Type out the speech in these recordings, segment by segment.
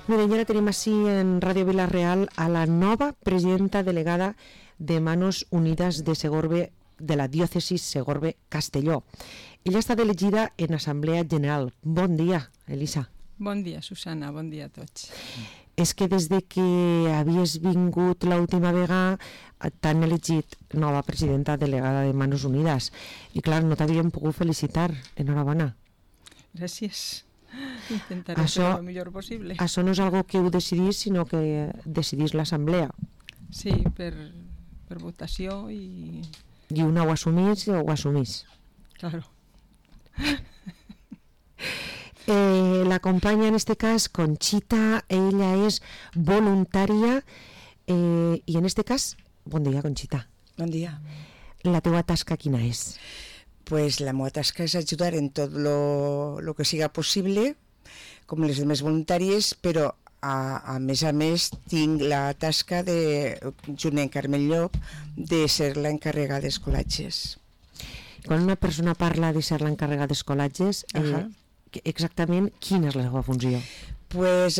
Miren, ja la tenim així en Ràdio Vila-real a la nova presidenta delegada de Manos Unides de Segorbe, de la diòcesis Segorbe-Castelló. Ella ha estat elegida en Assemblea General. Bon dia, Elisa. Bon dia, Susana, bon dia a tots. És que des de que havies vingut l'última vegada t'han elegit nova presidenta delegada de Manos Unides i clar, no t'havíem pogut felicitar. Enhorabona. Gràcies. Intentaré fer el millor possible. Això no és algo que heu decidís, sinó que decidís l'assemblea. Sí, per votació i... I una ho assumís o ho assumís. Claro. L'acompanya en este cas Conxita, ella és voluntària i en este cas, bon dia Conxita. Bon dia. La teua tasca quina és? Pues la meva tasca és ajudar en tot lo que siga possible, com les demés voluntàries, però a més tinc la tasca de, junt amb Carmen Llop, de ser l'encarregada d'escolatges. Quan una persona parla de ser l'encarregada d'escolatges, exactament quina és la seva funció? Pues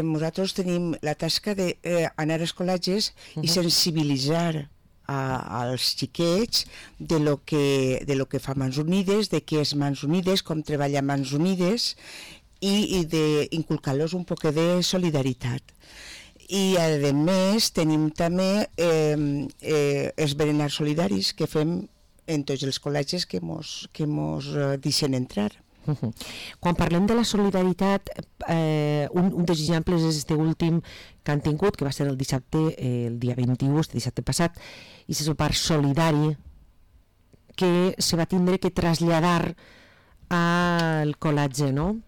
nosaltres tenim la tasca d'anar a escolatges i sensibilitzar als xiquets de lo que fa Mans Unides, de què és Mans Unides, com treballa Mans Unides i d'inculcar-los un poc de solidaritat. I a més tenim també els berenars solidaris que fem en tots els col·legis que mos deixen entrar. Quan parlem de la solidaritat, un dels exemples és este últim que han tingut, que va ser el dissabte, el dia 21, este dissabte passat, i és el parc solidari que se va tindre que traslladar al col·legi, no?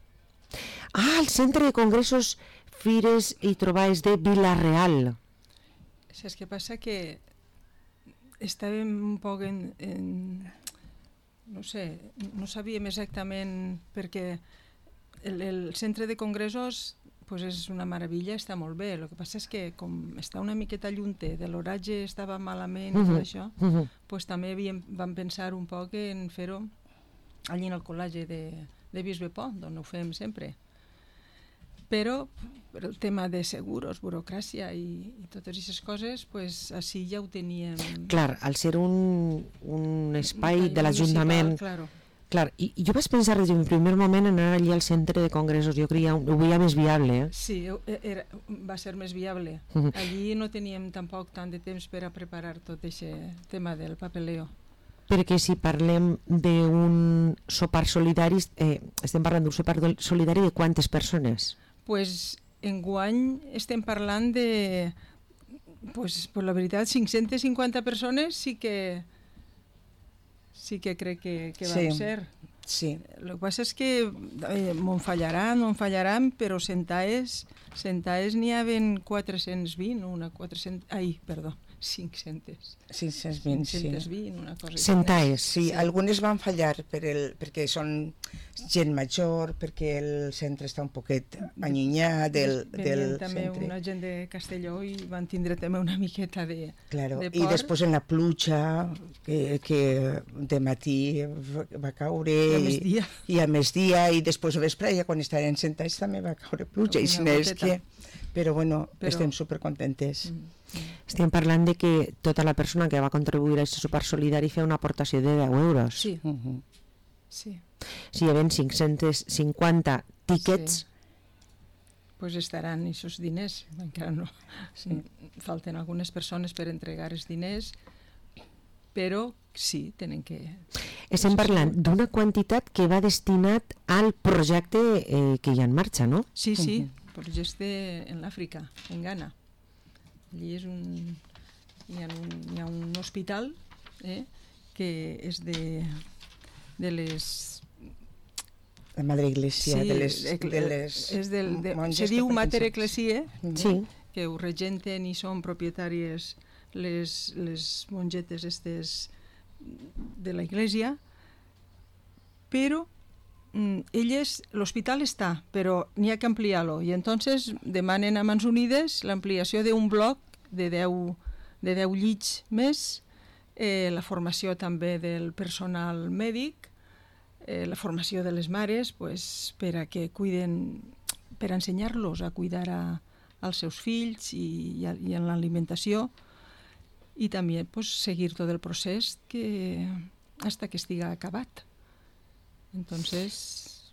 El Centre de Congressos, Fires i Trobades de Vila-real. Saps què passa? Que estàvem un poc no sé, no sabíem exactament perquè el centre de congressos pues és una meravella, està molt bé. El que passa és que com està una miqueta llunter, de l'horatge estava malament i tot això, pues també vam pensar un poc en fer-ho allí en el col·legi de Bisbe Pont, on ho fem sempre. Però el tema de seguros, burocràcia i totes aquestes coses, pues així ja ho teníem. Clar, al ser un espai de l'Ajuntament... Clar, i jo vaig pensar des d'un primer moment en anar allí al centre de congressos, jo creia, ho veia més viable. Sí, va ser més viable. Allí no teníem tampoc tant de temps per a preparar tot aquest tema del papeleo. Perquè si parlem d'un sopar solidari, estem parlant d'un sopar solidari de quantes persones? Pues enguany estem parlant de, pues la veritat, 550 persones sí que crec que van ser. Sí. El que passa és que m'ho fallaran, però sentaes n'hi haven 420, 520, una cosa. Sentaes. Sí, algunes van fallar perquè són gent major, perquè el centre està un poquet allunyat del Venien també centre. una gent de Castelló i van tindre també una miqueta de por. I després en la pluja, que de matí va caure i a migdia i després a vespre, quan estaven sentats també va caure pluja. Però bueno, estem supercontentes. Estem parlant de que tota la persona que va contribuir a aquest sopar solidari feia una aportació de 10 euros. Sí. Sí. Si hi havia 550 tíquets... Pues estaran aquests diners, encara no. Falten algunes persones per entregar els diners, però sí, tenen que... Estem parlant d'una quantitat que va destinat al projecte que hi ha en marxa, no? Sí, projecte en l'Àfrica, en Ghana. Allí hi ha un hospital que és de les... La Madre Iglesia, sí, de les monges. Se diu Mater Ecclesiae, que ho regenten i són propietàries les mongetes estes de la Iglesia, però l'hospital està, però n'hi ha que ampliar-lo, i entonces demanen a Mans Unides l'ampliació d'un bloc de 10 llits més, la formació també del personal mèdic, la formació de les mares, pues, per a que cuiden per ensenyar-los a cuidar als seus fills i en l'alimentació, i també pues, seguir tot el procés hasta que estiga acabat. Entonces,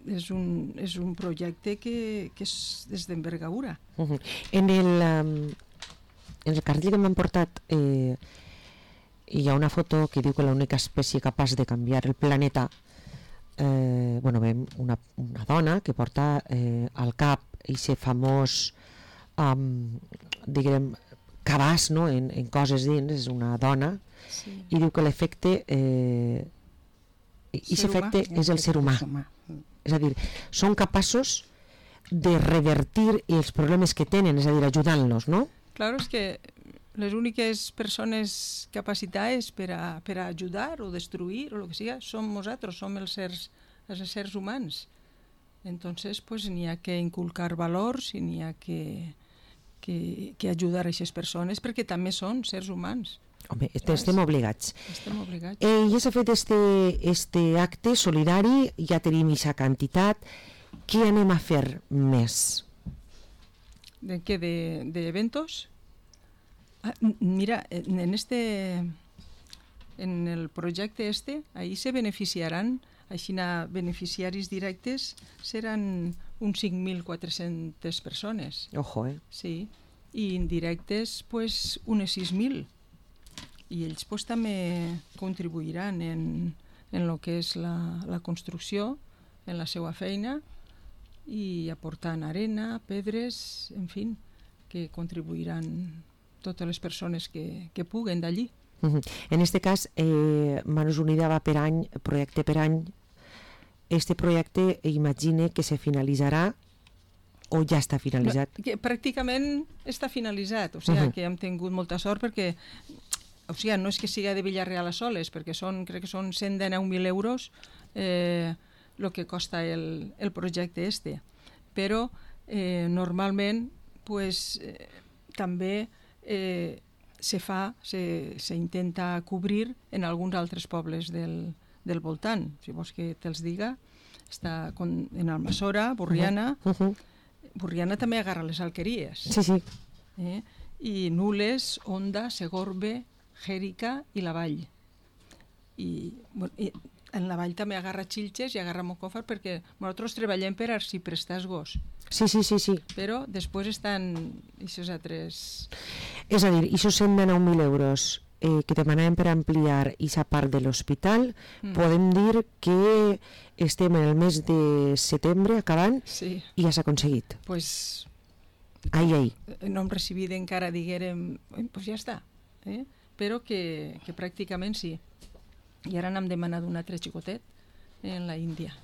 és un projecte que és d'envergadura. En el cartell que m'han portat hi ha una foto que diu que l'única espècie capaç de canviar el planeta, veiem una dona que porta al cap aquest famós diguem cabàs, no? en coses dins, és una dona, sí. I diu que l'efecte és el ser humà. És a dir, són capaços de revertir els problemes que tenen, és a dir, ajudant-los, no? Claro, és que les úniques persones capacitades per a ajudar o destruir o el que sigui, som nosaltres, som els éssers humans. Entonces, pues, n'hi ha que inculcar valors i n'hi ha que ajudar a aquestes persones perquè també són sers humans. Home, estem obligats. Estem obligats. Ja s'ha fet este acte solidari, ja tenim aquesta quantitat. Què anem a fer més? ¿De qué? ¿De eventos? Mira, en el projecte ahí se beneficiaran, així beneficiaris directes seran uns 5.400 persones. Ojo, Sí, i indirectes pues unes 6.000. I ells pues, també contribuiran en lo que és la construcció, en la seva feina, i aportant arena, pedres, en fi, que contribuiran totes les persones que puguen d'allí. En este cas, Manos Unidas va per any, projecte per any. Este projecte imagine que se finalitzarà o ja està finalitzat? Que pràcticament està finalitzat, o sigui que hem tingut molta sort perquè no és que siga de Villarreal a Soles, perquè crec que són 119.000 euros el que costa el projecte però normalment pues, també s'intenta cobrir en alguns altres pobles del voltant. Si vols que te'ls diga, està en Almassora, Borriana. Borriana també agarra les alqueries. Sí. I Nules, Onda, Segorbe, Jèrica i la Vall. I en la Vall també agarra Xilxes i agarra Moncofa perquè nosaltres treballem per arxiprestazgos. Sí. Però després estan aquests altres... És a dir, aquests 119.000 euros que demanaven per ampliar aquesta part de l'hospital, podem dir que estem en el mes de setembre acabant i ja s'ha aconseguit. Pues ai. No hem recibit encara, diguérem, pues ja està. Però que pràcticament sí. I ara n'hem demanat un altre xicotet en la Índia.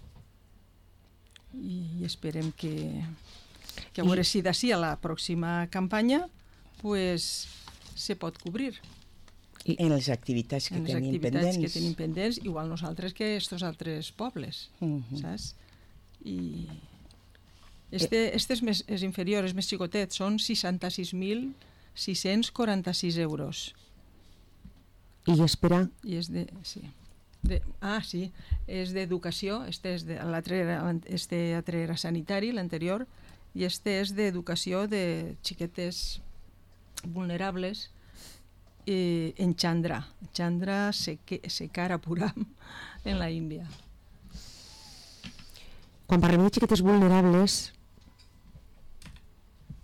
I esperem que a veure si d'ací a la pròxima campanya pues, se pot cobrir. I en les activitats que tenim pendents. Igual nosaltres que estos altres pobles, saps? I este és inferior, és més xicotet, són 66.646 euros. I espera? I és és d'educació, este altre era sanitari, l'anterior, i este és d'educació de xiquetes vulnerables en Chandra Sekarapuram, en la Índia. Quan parlem de xiquetes vulnerables,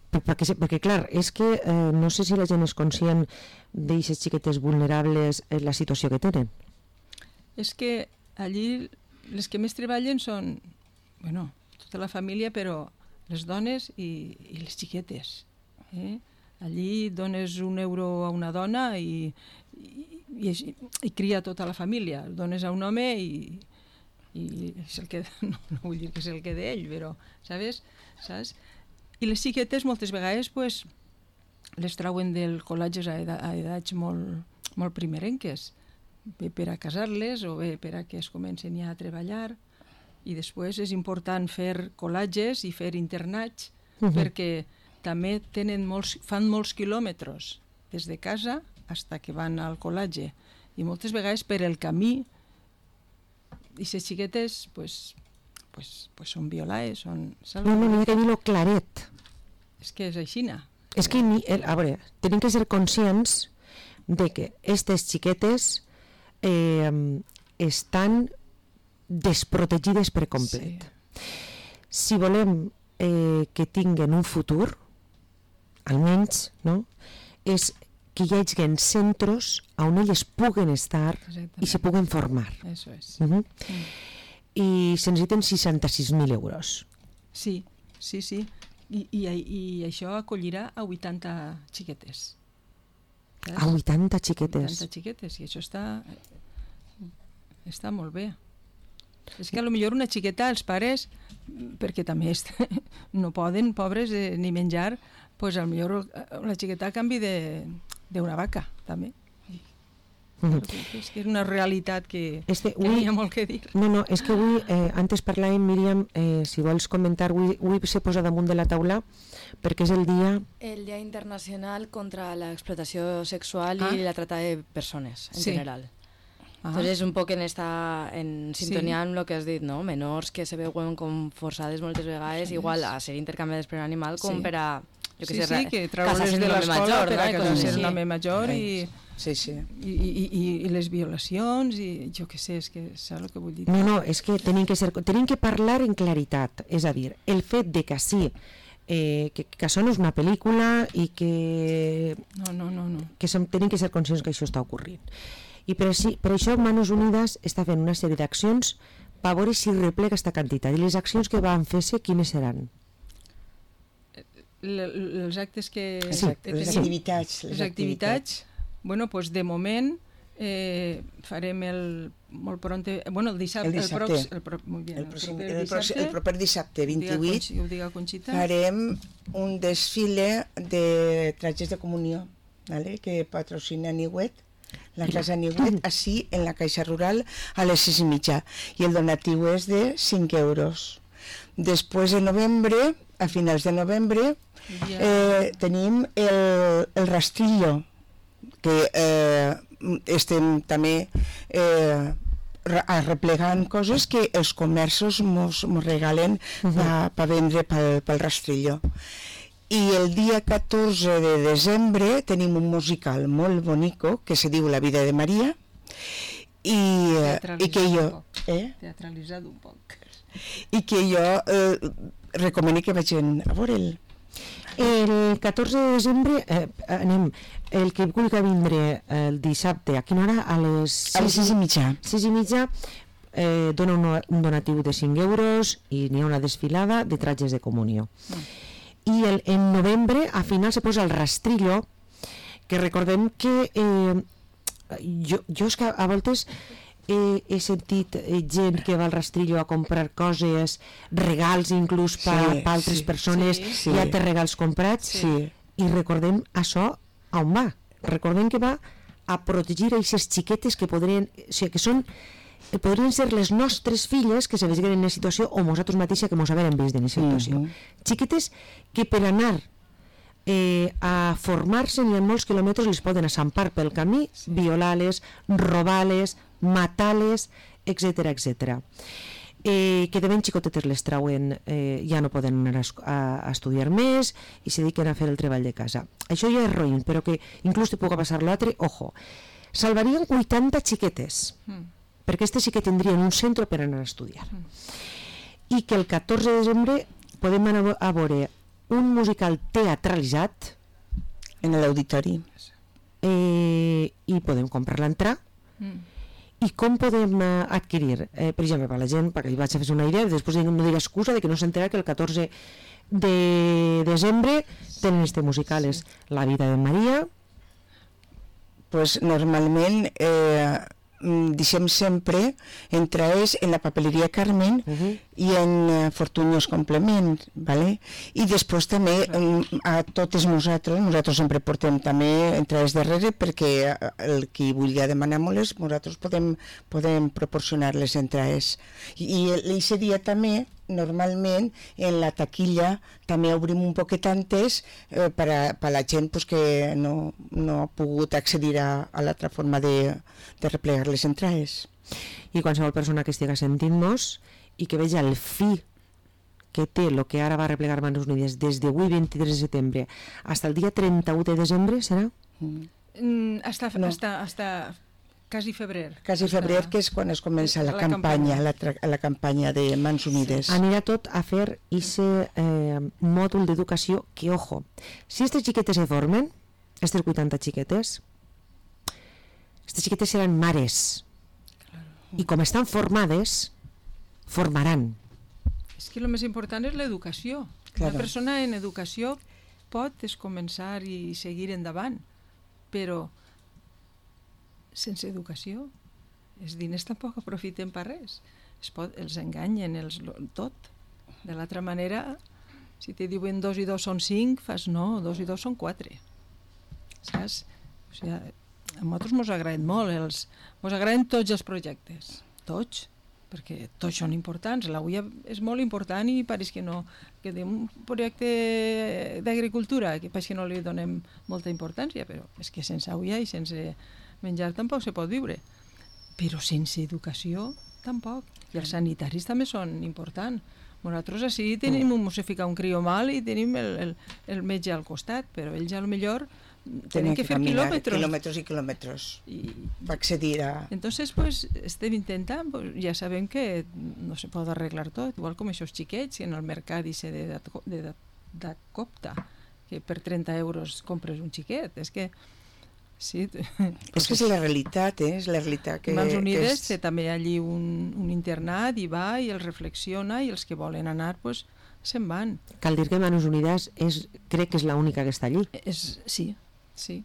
perquè clar, és que no sé si la gent és conscient d'aquestes xiquetes vulnerables en la situació que tenen. És que allí les que més treballen són, tota la família, però les dones i les xiquetes. Allí dones €1 a una dona i cria tota la família. El dones a un home i és el que... No vull dir que és el que d'ell, però, saps? I les xiquetes moltes vegades pues, les trauen del col·legis a edats molt primerenques, bé per a casar-les o bé per a que es comencen ja a treballar, i després és important fer col·leges i fer internats perquè també fan molts quilòmetres des de casa fins que van al col·legi, i moltes vegades per el camí aquestes xiquetes pues, pues són violaes, són No, salvajes. n'hi ha que dir-lo claret. És que és aixina. És que, a veure, tenim que ser conscients de que aquestes xiquetes estan desprotegides per complet. Si volem que tinguen un futur, almenys, no?, és que hi hagi centres on elles puguen estar i se puguen formar. Eso és. I se necessiten 66.000 euros. Sí. I això acollirà a 80 xiquetes. A 80 xiquetes. 80 xiquetes, i això està molt bé. És que potser una xiqueta, els pares, perquè també no poden, pobres, ni menjar, doncs potser la xiqueta a canvi d'una vaca, també. És que és una realitat que hi ha molt que dir. No, és que avui, antes parlàvem, Míriam, si vols comentar, avui se posa damunt de la taula perquè és el dia... El Día Internacional contra la Explotació Sexual y la Trata de Persones, en general. Entonces, un poc en sintonia amb el que has dit, no? Menors que se veuen com forçades moltes vegades, igual a ser intercanviades per un animal com per a... que treure's de l'escola per a casar-se un home major i les violacions i jo què sé, és que saps el que vull dir. No, és que tenim que parlar en claritat, és a dir, el fet de que sí, que això no és una pel·lícula i que tenim que ser conscients que això està ocorrint. I per això Manos Unides està fent una sèrie d'accions per veure si replega aquesta quantitat. I les accions que van fer-se, quines seran? Els actes que... Les activitats. Bueno, doncs de moment farem molt pronte, bueno, el dissabte, el proper dissabte 28 farem un desfile de trajes de comunió, ¿vale? Que patrocina Niuet, la casa Niuet, així en la Caixa Rural a les 6:30, i el donatiu és de 5 euros. Després de novembre, a finals de novembre, tenim el rastrillo, que estem també arreplegant coses que els comerços mos regalen per vendre pel rastrillo. I el dia 14 de desembre tenim un musical molt bonico que se diu La vida de Maria i que jo teatralitzat un poc i que jo recomano que vagin a veure'l. El 14 de desembre anem, el que vulgui vindre el dissabte, a quina hora? A les 6:30. 6:30 dona un donatiu de 5 euros i n'hi ha una desfilada de trajes de comunió. I en novembre, a final, se posa el rastrillo, que recordem que jo és que a voltes he sentit gent que va al rastrillo a comprar coses, regals inclús per altres persones, ja té regals comprats, i recordem això on va. Recordem que va a protegir aquestes xiquetes que podrien ser les nostres filles que se vegin en una situació o nosaltres mateixes que mos haguem vist en una situació. Xiquetes que per anar a formar-se ni en molts quilòmetres les poden assampar pel camí, violar-les, robar-les, matar-les, etc. Que de ben xicotetes les trauen, ja no poden anar a estudiar més i se dediquen a fer el treball de casa. Això ja és roïn, però que inclús te puga passar l'altre, ojo, salvarien 80 xiquetes, perquè aquestes sí que tindrien un centre per anar a estudiar. I que el 14 de desembre podem anar a veure un musical teatralitzat en l'auditori i podem comprar l'entrada. I com podem adquirir? Per exemple, per la gent, perquè hi vaig a fer una idea, després no diré excusa de que no s'entera que el 14 de desembre tenen este musical, és La vida de Maria. Pues normalment deixem sempre entrades en la papeleria Carmen i en Fortunyos Complement, ¿vale? I després també a totes nosaltres sempre portem també entrades darrere perquè el qui vulgui demanar-nos, nosaltres podem proporcionar les entrades. I aquest dia també normalment en la taquilla també obrim un poquet antes per a la gent que no ha pogut accedir a l'altra forma de replegar les entrades. I qualsevol persona que estigui sentint-nos i que veja el fi que té el que ara va replegar Mans Unides des d'avui 23 de setembre fins el dia 31 de desembre, serà? Hasta quasi febrer. Quasi febrer, que és quan es comença la campanya de Mans Unides. Anirà tot a fer aquest mòdul d'educació que, ojo, si aquestes xiquetes se formen, aquestes 80 xiquetes, aquestes xiquetes seran mares. I com estan formades, formaran. És que el més important és l'educació. Una persona en educació pot començar i seguir endavant, però sense educació els diners tampoc aprofiten per res. Els enganyen tot. De l'altra manera, si te diuen 2 i 2 són 5, fas no, 2 i 2 són 4. Saps? O sigui, a nosaltres ens agraden molt, ens agraden tots els projectes, tots, perquè tots són importants. La UIA és molt important i pareix que no, que un projecte d'agricultura que pareix que no li donem molta importància, però és que sense UIA i sense menjar tampoc se pot viure. Però sense educació tampoc. I els sanitaris també són importants. Nosaltres així tenim, se fica un crió mal i tenim el metge al costat, però ells potser tenen que fer quilòmetres i quilòmetres per accedir a... Entonces, pues, estem intentant, pues, ja sabem que no se pot arreglar tot, igual com aquests xiquets en el mercat i se de copta, que per 30 euros compres un xiquet. És que sí, és que és la realitat, és la realitat que... Mans Unides té també allí un internat i va i els reflexiona i els que volen anar, pues, se'n van. Cal dir que Mans Unides crec que és l'única que està allí. Sí.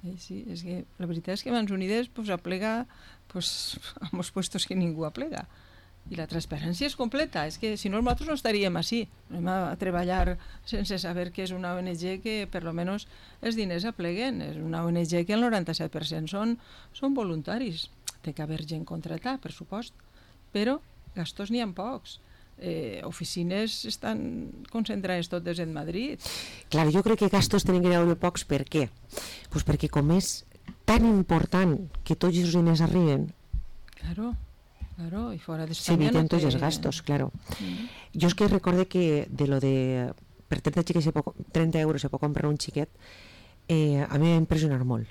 És que la veritat és que Mans Unides pues, aplega pues, en els puestos que ningú aplega. I la transparència és completa. És que si no, nosaltres no estaríem així. Anem a treballar sense saber que és una ONG que per lo menos els diners apleguen. És una ONG que el 97% són voluntaris. Té que haver gent contratada, per supost. Però gastos n'hi ha pocs. Oficines estan concentrades totes en Madrid. Clar, jo crec que gastos tenen que haver pocs. Per què? Pues perquè com és tan important que tots els diners arriben, claro, i fora d'Espanya se eviten tots els gastos, claro. Jo és que recorde que per 30 euros se pot comprar un xiquet, a mi m'ha impressionat molt,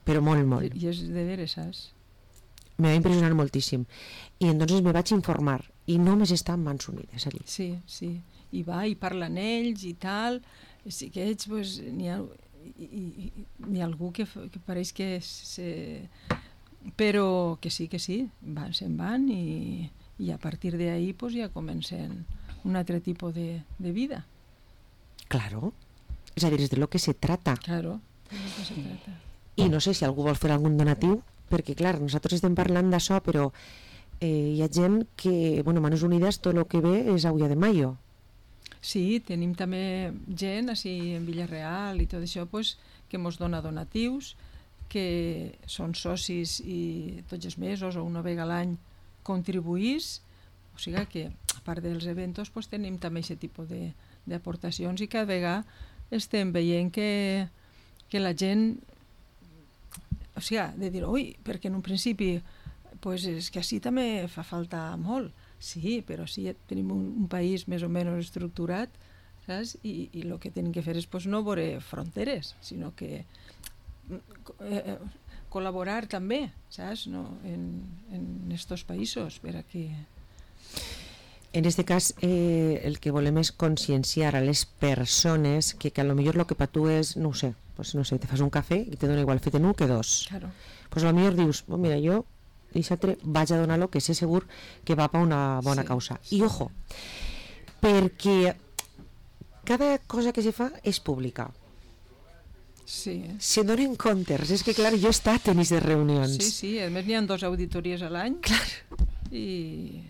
però molt. I és de veres, saps? Me va impressionar moltíssim. I entonces me vaig informar i només està en Mans Unides allí. Sí. I va i parla amb ells i tal. Sí que ells, pues, n'hi ha algú que pareix que però que sí, se'n van i a partir d'ahí pues, ja comencen un altre tipus de vida. Claro. És a dir, és de lo que se trata. Claro, de lo que se trata. I no sé si algú vol fer algun donatiu, perquè clar, nosaltres estem parlant d'això, però hi ha gent que, Mans Unides, tot el que ve és Auia de Mayo. Sí, tenim també gent així en Villarreal i tot això, pues, que ens dona donatius, que són socis i tots els mesos o una vegada a l'any contribuís, o sigui que a part dels eventos pues, tenim també aquest tipus d'aportacions i cada vegada estem veient que la gent, o sigui, de dir, perquè en un principi pues, és que així també fa falta molt, sí, però sí tenim un país més o menys estructurat, saps? I el que tenim que fer és pues, no veure fronteres, sinó que col·laborar també, saps? No? En estos països per a que... En este cas, el que volem és conscienciar a les persones que a lo millor lo que per tu és, no sé, te fas un cafè i te dona igual fet en un que dos. Claro. Pues a lo millor dius, mira, jo dissabte vaig a donar-lo que sé segur que va per una bona causa. I ojo, perquè cada cosa que se fa és pública. Sí. Se donen comptes, és que clar, jo he estat en aquestes reunions. Sí, a més n'hi ha 2 auditories a l'any. Clar. I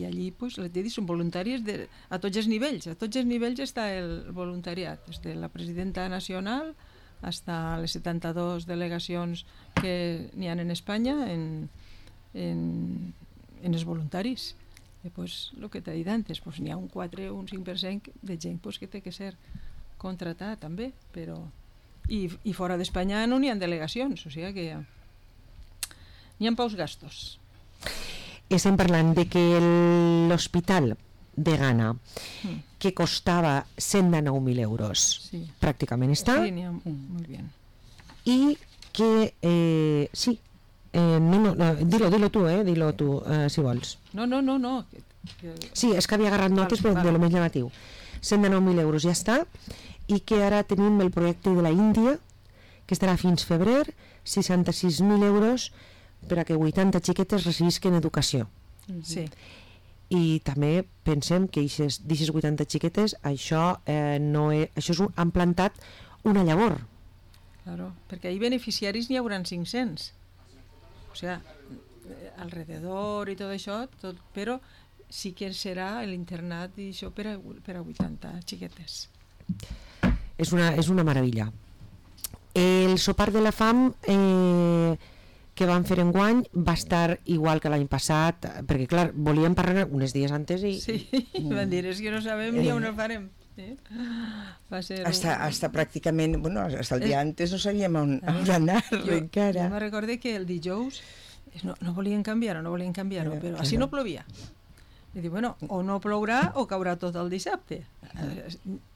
allí pues, les DEDI són voluntàries a tots els nivells. A tots els nivells està el voluntariat, des de la presidenta nacional fins a les 72 delegacions que n'hi ha en Espanya en els voluntaris. I pues, el que t'he dit antes, pues, n'hi ha un 4 o un 5% de gent pues, que té que ser contratar també, però i fora d'Espanya no n'hi ha delegacions, o sigui que n'hi ha pocs gastos. estem parlant de que l'hospital de Ghana, que costava 109.000 euros, pràcticament està, molt bé. I que, sí, dilo tu, si vols. No. Sí, és que havia agarrat notes, però de lo més llamatiu. 109.000 euros ja està, i que ara tenim el projecte de la Índia, que estarà fins febrer, 66.000 euros per a que 80 xiquetes recibisquen educació. Sí. I també pensem que d'aquestes 80 xiquetes això han plantat una llavor. Claro, perquè ahí beneficiaris n'hi hauran 500. O sea, alrededor i tot això, però sí que serà l'internat i això per a 80 xiquetes. És una meravella. El sopar de la fam que van fer enguany va estar igual que l'any passat, perquè clar, volíem parlar uns dies antes i... Sí, van dir, és que no sabem ni on ho farem. Va ser hasta pràcticament, bueno, hasta el dia antes no sabíem on anar encara. Jo me recorde que el dijous no volien canviar-ho, però així no plovia. I dic, bueno, o no plourà o caurà tot el dissabte.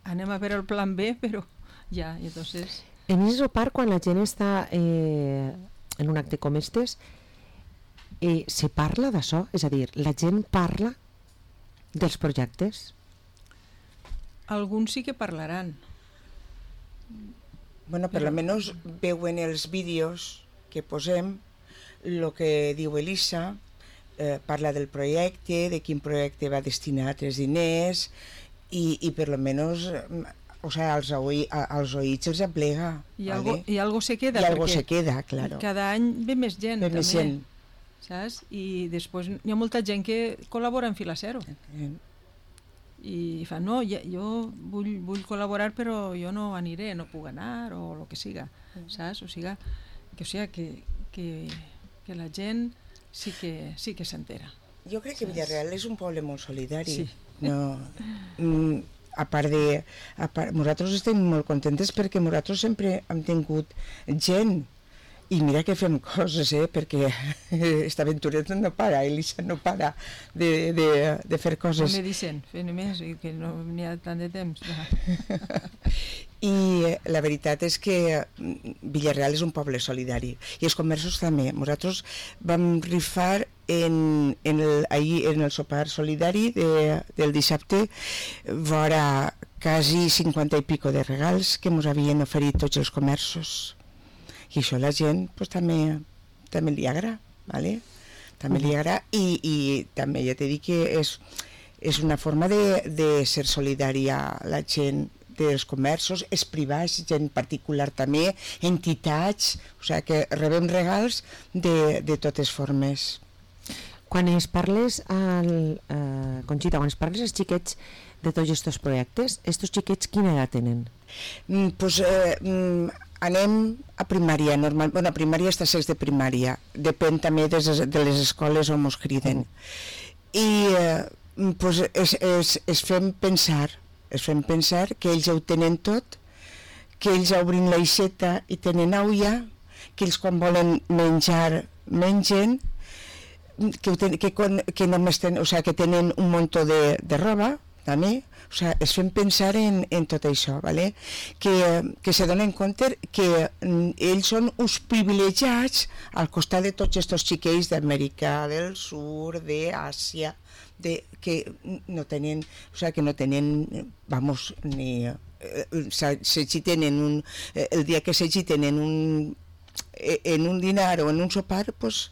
Anem a veure el plan B, però ja, i entonces... En aquest sopar, quan la gent està en un acte com estes, se parla d'això? És a dir, la gent parla dels projectes? Alguns sí que parlaran. Bueno, per almenys veuen els vídeos que posem, el que diu Elisa, parla del projecte, de quin projecte va destinat els diners, i per almenys... O sea, als oïts els aplega. I algo se queda. I algo se queda, claro. Cada any ve més gent, també. Més gent. Saps? I després hi ha molta gent que col·labora en Fila Cero. I fa, no, jo vull col·laborar, però jo no aniré, no puc anar, o el que siga. Saps? O sigui, que la gent sí que s'entera. Jo crec que Villarreal és un poble molt solidari. Sí. No... A part, nosaltres estem molt contentes perquè nosaltres sempre hem tingut gent, i mira que fem coses, perquè esta aventureta no para, Elisa no para de fer coses. No me dicen, fem més, que no n'hi ha tant de temps. I la veritat és que Villarreal és un poble solidari, i els comerços també. Nosaltres vam rifar ahir en el sopar solidari del dissabte vora quasi 50 i pico de regals que ens havien oferit tots els comerços, i això la gent pues, també li agrada, ¿vale? També li agrada, i també ja t'he dit que és una forma de ser solidària la gent dels comerços, els privats, gent particular també, entitats, o sigui que rebem regals de totes formes. Quan es parles, Conxita, quan es parles als xiquets de tots aquests projectes, aquests xiquets quina edat tenen? Pues anem a primària, normal. Bueno, a primària està sex de primària, depèn també de les escoles on ens criden. I pues, es fem pensar que ells ja ho tenen tot, que ells obrin l'aixeta i tenen aulla, que ells quan volen menjar, mengen, que només tenen, o sigui, que tenen un muntó de roba, també, o sigui, es fem pensar en tot això, ¿vale? Que se donen compte que ells són uns privilegiats al costat de tots aquests xiquets d'Amèrica del Sur, d'Àsia, que no tenen, o sigui, que no tenen, vamos, ni s'agiten el dia que s'agiten en un dinar o en un sopar, pues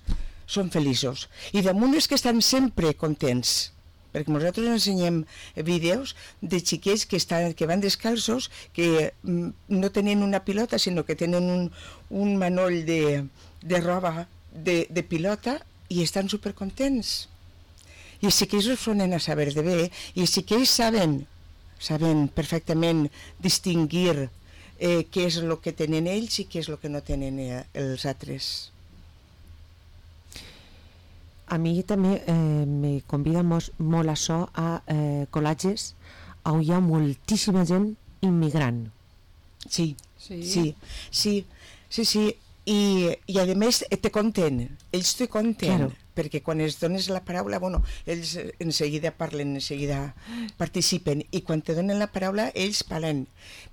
són feliços. I damunt és que estan sempre contents, perquè nosaltres ensenyem vídeos de xiquets que van descalços, que no tenen una pilota, sinó que tenen un manoll de roba de pilota i estan supercontents. I els xiquets ho sonen a saber de bé, i els xiquets saben perfectament distingir què és el que tenen ells i què és el que no tenen els altres. A mi també me convida molt això a col·latges on hi ha moltíssima gent immigrant. Sí. I a més te conten, ells te conten. Claro. perquè quan els dones la paraula, bueno, ells enseguida parlen, enseguida participen, i quan te donen la paraula, ells parlen.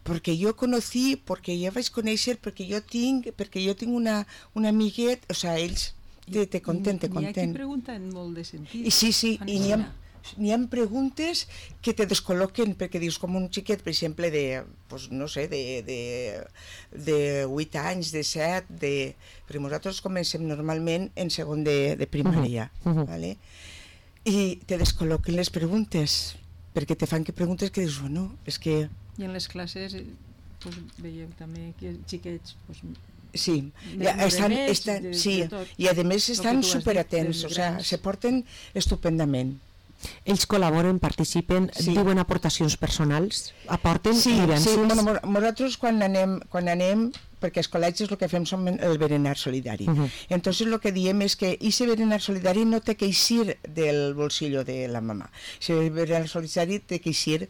Perquè jo conocí, perquè jo vaig conèixer, perquè jo tinc una amiguet, o sigui, ells te conten. N'hi ha qui pregunta en molt de sentit. I sí, i n'hi ha preguntes que te descol·loquen, perquè dius, com un xiquet, per exemple, de 8 anys, de 7, perquè nosaltres comencem normalment en segon de primària, ¿vale? I te descol·loquen les preguntes, perquè te fan preguntes que dius, bueno, és que... I en les classes veieu també que xiquets... Sí, i a més estan superatents, o sigui, se porten estupendament. Ells col·laboren, participen, diuen aportacions personals, aporten vivències? Sí, nosaltres quan anem, perquè als col·legis el que fem som el berenar solidari. Entonces el que diem és que aquest berenar solidari no té que eixir del bolsillo de la mamà. El berenar solidari té que eixir,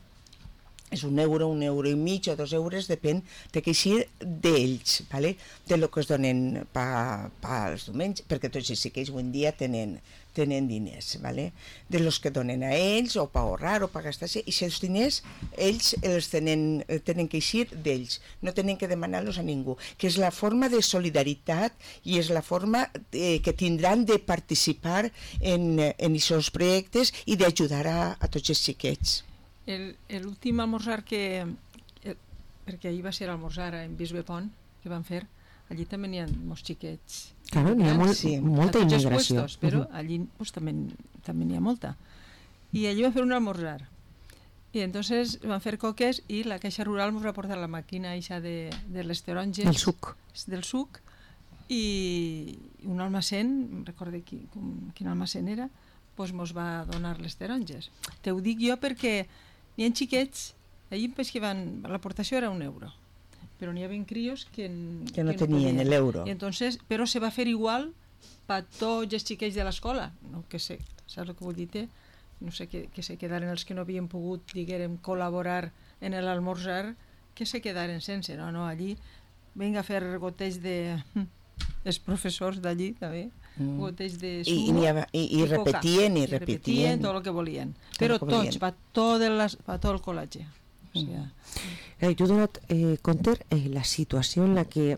és €1, €1,5 o €2, depèn, té que eixir d'ells, ¿vale? De lo que es donen pels diumenges, perquè tots els xiquets avui en dia tenen diners, ¿vale? De los que donen a ells, o per ahorrar, o per gastar-se, i els diners ells els tenen que eixir d'ells, no tenen que demanar-los a ningú, que és la forma de solidaritat i és la forma que tindran de participar en aquests projectes i d'ajudar a tots els xiquets. L'últim almorzar perquè ahir va ser almorzar en Bisbe Pont, que van fer, allí també n'hi ha molts xiquets. Claro, n'hi ha molta immigració. Però allí també n'hi ha molta. I allí van fer un almorzar. I entonces van fer coques i la Caixa Rural ens va portar la màquina eixa de les taronges. Del suc. I un almacén, recorde quin almacén era, doncs ens va donar les taronges. Te ho dic jo perquè n'hi ha xiquets, allí l'aportació era €1, però n'hi havia crios que no tenien l'euro. Però se va fer igual per tots els xiquets de l'escola. No, saps el que vull dir? No sé, que se quedaren els que no havien pogut, diguem, col·laborar en l'almorzar, que se quedaren sense. No, allí vinga a fer goteig els professors d'allí també, goteig de sumo, i repetien tot el que volien, però tots, per tot el col·legi. Tu donat compte la situació en la que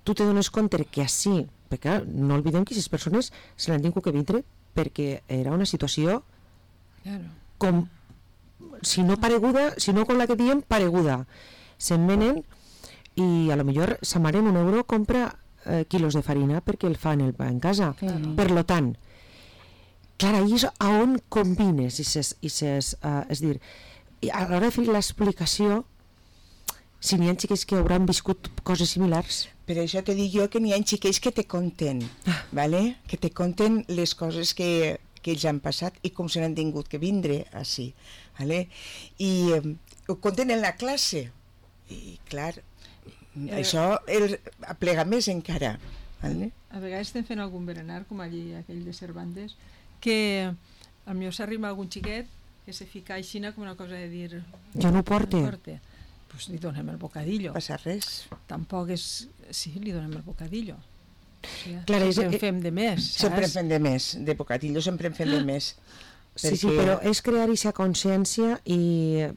tu te dones compte que així, perquè no oblidem que aquestes persones se l'han tingut que vindre perquè era una situació com, si no pareguda, si no com la que diem, pareguda. Se'n venen i a lo millor sa mare en €1 compra quilos de farina perquè el fan el pa en casa. Per lo tant, clar, ahí és on combines és dir, a l'hora de fer l'explicació, si n'hi ha xiquets que hauran viscut coses similars. Per això te dic jo que n'hi ha xiquets que te conten, ¿vale? Que te conten les coses que ells han passat i com se n'han tingut que vindre així, ¿vale? I ho conten en la classe i clar, això aplega més encara, ¿vale? A vegades estem fent algun berenar com allí aquell de Cervantes que potser s'arriba algun xiquet que se fica aixina com una cosa de dir jo no ho porte. Pues li donem el bocadillo. No passa res. Tampoc és... Sí, li donem el bocadillo. Clar, sempre en fem de més, saps? Sempre en fem de més, de bocadillo sempre en fem de més. Sí, però és crear aquesta consciència i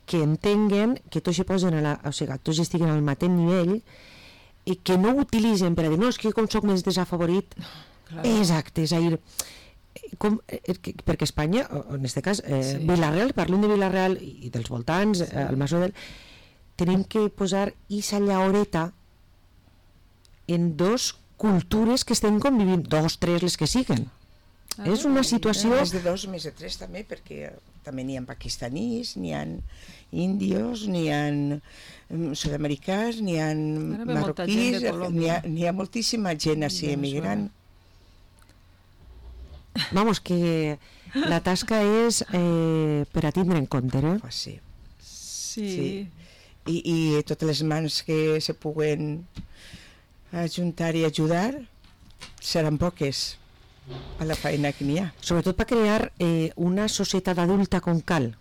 que entenguen que tots tots estiguen al mateix nivell i que no ho utilitzen per a dir no, és que com soc més desafavorit. Exacte, és a dir, perquè Espanya, en aquest cas Vila-real, parlem de Vila-real i dels voltants, el Masrodel, tenim que posar aquesta llaoreta en dos cultures que estem convivint, 2, 3, les que siguen. És una situació... Més de 2, més de 3 també, perquè també n'hi ha pakistanis, n'hi ha índios, n'hi ha sud-americans, n'hi ha marroquís, n'hi ha moltíssima gent així emigrant. Vamos, que la tasca és per a tindre en compte, eh? Sí. I totes les mans que se puguen ajuntar i ajudar seran poques a la feina que n'hi ha. Sobretot per crear una societat adulta com cal.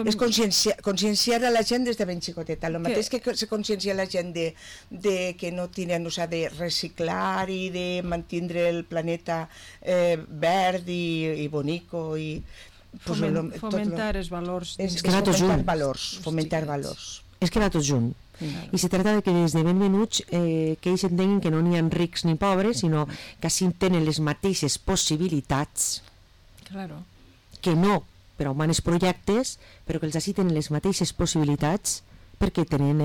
És conscienciar a la gent des de ben xicoteta. El mateix que se consciencia la gent de que no tenen, o sea, de reciclar i de mantenir el planeta verd i bonico i fomentar els valors. Fomentar valors. És que va tot junt. I se tracta de que des de ben menuts que ells entenguin que no n'hi ha rics ni pobres, sinó que així tenen les mateixes possibilitats, que no per a humanes projectes, però que els així tenen les mateixes possibilitats perquè tenen,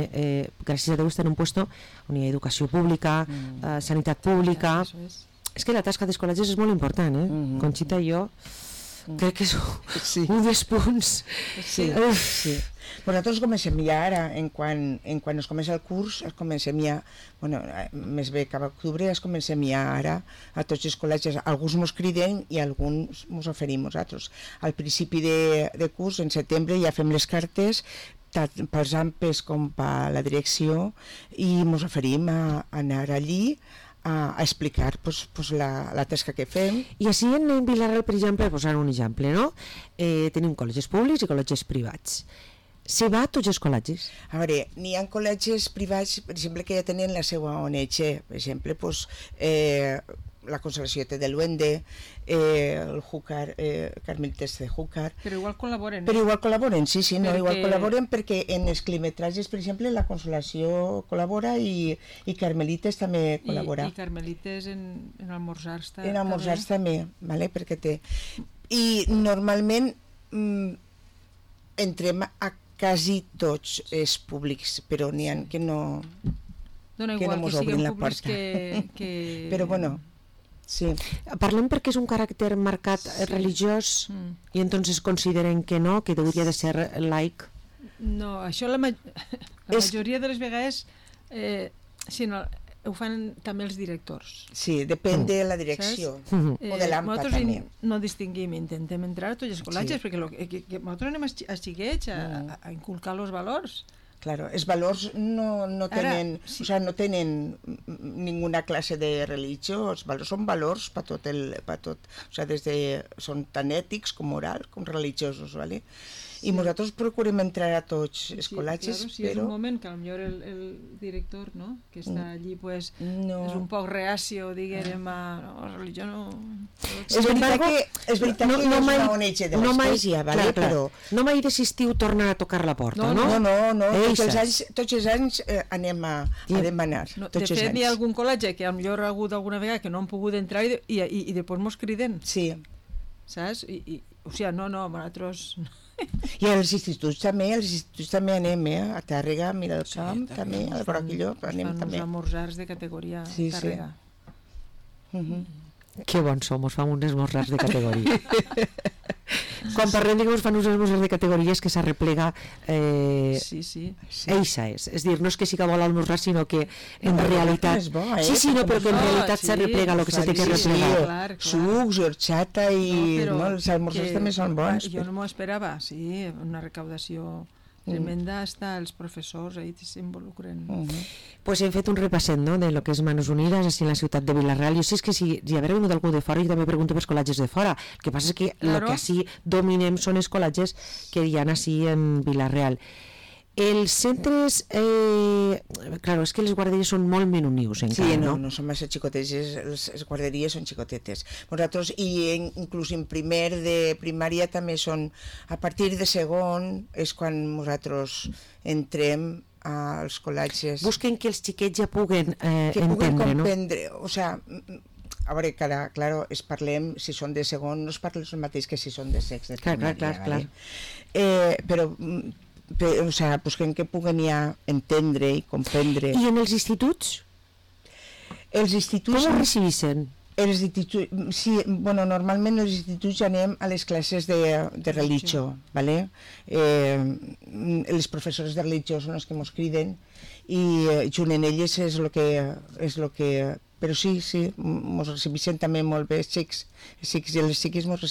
gràcies a Déu, estan en un lloc on hi ha educació pública, sanitat pública. És que la tasca d'escolatges és molt important, Conxita i jo crec que és un dels punts. Nosaltres comencem ja ara, en quan es comença el curs, es comencem ja, més bé cap a octubre, es comencem ja ara a tots els col·legis. Alguns mos criden i alguns mos oferim nosaltres. Al principi de curs, en setembre, ja fem les cartes, tant pels AMPEs com per la direcció, i mos oferim a anar allí a explicar la tasca que fem. I així en Vila-real, per exemple, posant un exemple, no? Tenim col·legis públics i col·legis privats. Se va a tots els col·legis? A veure, n'hi ha col·legis privats, per exemple, que ja tenen la seva ONG, per exemple, la Consolació de Luende, el Júcar, Carmelites de Júcar. Però igual col·laboren. Igual col·laboren perquè en els climetratges, per exemple, la Consolació col·labora i Carmelites també col·labora. I Carmelites en almorzars també. En almorzars també, perquè té. I normalment entrem a quasi tots els públics, però n'hi ha que no mos obrin la porta. Però bueno, sí. Parlem perquè és un caràcter marcat religiós i entonces consideren que no, que hauria de ser laic. No, això la majoria de les vegades ho fan també els directors. Sí, depèn de la direcció o de l'AMPA també. Nosaltres no distinguim, intentem entrar a tots els col·legis perquè nosaltres anem a xiquets a inculcar els valors. Claro, els valors no tenen, o sea, no tenen ninguna classe de religió, els valors són valors per tot, o sea, són tan ètics com morals com religiosos, ¿vale? I nosaltres procurem entrar a tots els col·legis, però... és un moment que potser el director, no?, que està allí, és un poc reacio, diguem, a religió no... És veritat que no és una ONG de l'Església, però... No mai desistiu tornar a tocar la porta, no? No, tots els anys anem a demanar. De fet, hi ha algun col·legi que potser ha hagut alguna vegada que no han pogut entrar i després mos criden. Sí. Saps? O sigui, no, nosaltres... I als instituts també anem, a Tàrrega, a Miralcamp, també, al Broquilló, anem també. Fan uns esmorzars de categoria Tàrrega. Que bons som, fan uns esmorzars de categoria. Quan parlem de que fan uns esmorzars de categoria és que s'arreplega eixa és dir, no és que sí que vol almorzar, sinó que en realitat però que en realitat s'arreplega el que se té que replegar. Sucs, horchata i els esmorzars també són bons. Jo no m'ho esperava, una recaudació tremenda, hasta els professors ahí s'involucren. Pues hem fet un repasset, no?, de lo que és Manos Unides així en la ciutat de Vila-real. Jo sé que si haver vingut algú de fora, jo també pregunto pels col·legis de fora. El que passa és que el que així dominem són els col·legis que hi ha així en Vila-real. Els centres, claro, és que les guarderies són molt menunius encara, sí, no són massa xicotetes, les guarderies són xicotetes. Nosaltres, i inclús en primer de primària també són, a partir de segon és quan nosaltres entrem als col·legis. Busquen que els xiquets ja puguen comprendre, no? O sigui, a veure, claro, parlem, si són de segon, no es parla el mateix que si són de sex de primària. Clar. Però o sea, busquen que puguen ja entendre i comprendre. I en els instituts? Els instituts... Com ho recibeixen? Sí, normalment els instituts anem a les classes de religió, ¿vale? Les professores de religió són els que ens criden i junt en elles és el que... Però sí, ens recibeixen també molt bé els xics i les xiques ens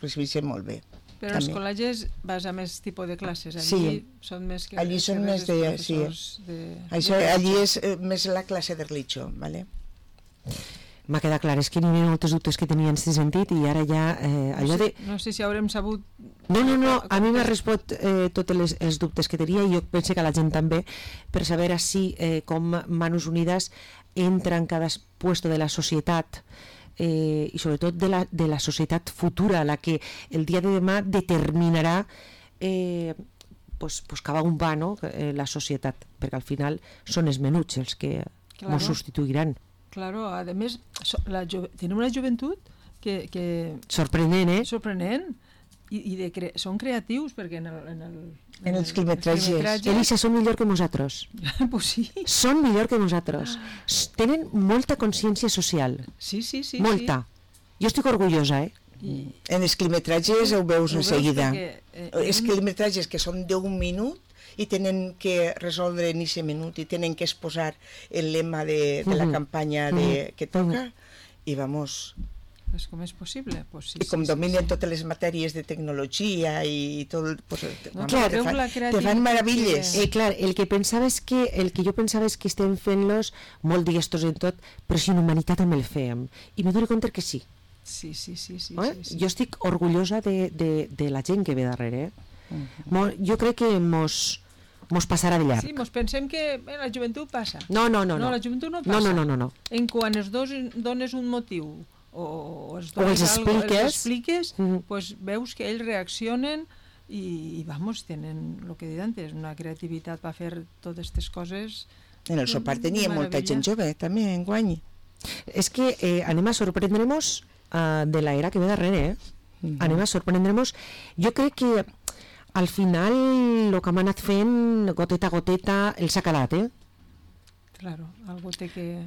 recibeixen molt bé. Però els col·legis vas a més tipus de classes, són més que... Allí són més de... Sí. Allí és més la classe de religió, ¿vale? m'ha quedat clar, és que n'hi havia molts dubtes que tenia en aquest sentit i ara ja allò de... No sé si haurem sabut... No, a mi m'ha respost tots els dubtes que tenia i jo penso que a la gent també, per saber si com Manos Unidas entra en cada puesto de la societat i sobretot de la societat futura, la que el dia de demà determinarà pues cap a on va, no? La societat, perquè al final són els menuts els que ens substituiran. Claro, a més, tenim una joventut que... Sorprenent, Sorprenent. I són creatius, perquè en els quilometratges. Elisa, són millor que nosaltres. Pues sí. Són millor que nosaltres. Tenen molta consciència social. Sí. Molta. Jo estic orgullosa, En els quilometratges ho veus en seguida. Els quilometratges que són d'un minut i tenen que resoldre en aquest minut i tenen que exposar el lema de la campanya que toca i vamos... Pues com és possible? Pues sí, I com dominen totes les matèries de tecnologia i tot... Pues, te fan meravilles. Clar, el que jo pensava és que estem fent-los molt diestos en tot, però si en humanitat també el fèiem. I me dono compte que sí. Sí. Jo estic orgullosa de la gent que ve darrere. Jo crec que mos passarà de llarg. Sí, mos pensem que la joventut passa. No. La joventut no passa. No. En quan els dos dones un motiu o els expliques, pues veus que ells reaccionen i vamos, tenen el que he dit antes, una creativitat per fer totes aquestes coses. En el sopar tenia molta gent jove també enguany. És que anem a sorprendre'ns de l'era que ve darrere, anem a sorprendre'ns. Jo crec que al final el que hem anat fent goteta a goteta el s'ha calat, Claro, algo té que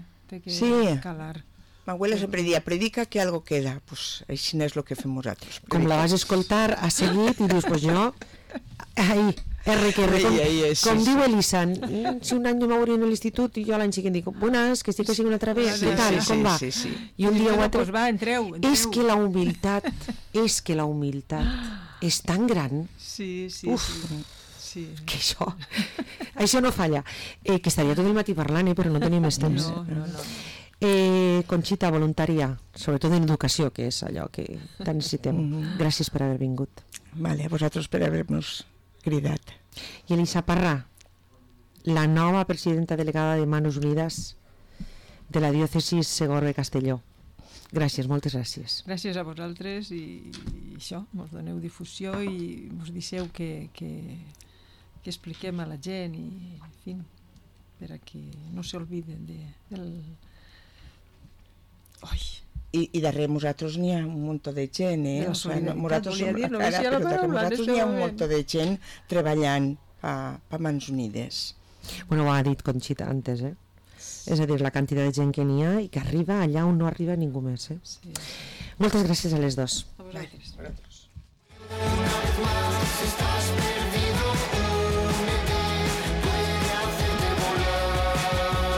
calar. Ma abuela sempre dia, predica que algo queda. Pues així és el que fem nosaltres. Com la vas escoltar, has seguit i dius, pues jo... Ahí, com diu Elisa, si un any jo m'hauré en l'institut i jo l'any següent dic, buenas, que estic així una altra vegada, què tal, com va? I un dia o altre... Pues va, entreu. És que la humilitat és tan gran. Sí. Que això no falla. Que estaria tot el matí parlant, però no tenim més temps. No. Conxita, voluntària, sobretot en educació, que és allò que tant necessitem. Gràcies per haver vingut. Vale, a vosaltres per haver-nos cridat. I Elisa Parrà, la nova presidenta delegada de Manos Unidas de la diòcesi Segorbe-Castelló. Gràcies, moltes gràcies. Gràcies a vosaltres i això, mos doneu difusió i mos deixeu que expliquem a la gent i, en fi, per a que no s'olviden del... I darrere nosaltres n'hi ha un munt de gent, nosaltres n'hi ha un munt de gent treballant per Mans Unides. Bueno, ho ha dit Conxita antes, és a dir, la quantitat de gent que n'hi ha i que arriba allà on no arriba ningú més. Sí. Moltes gràcies a les dos. A vosaltres.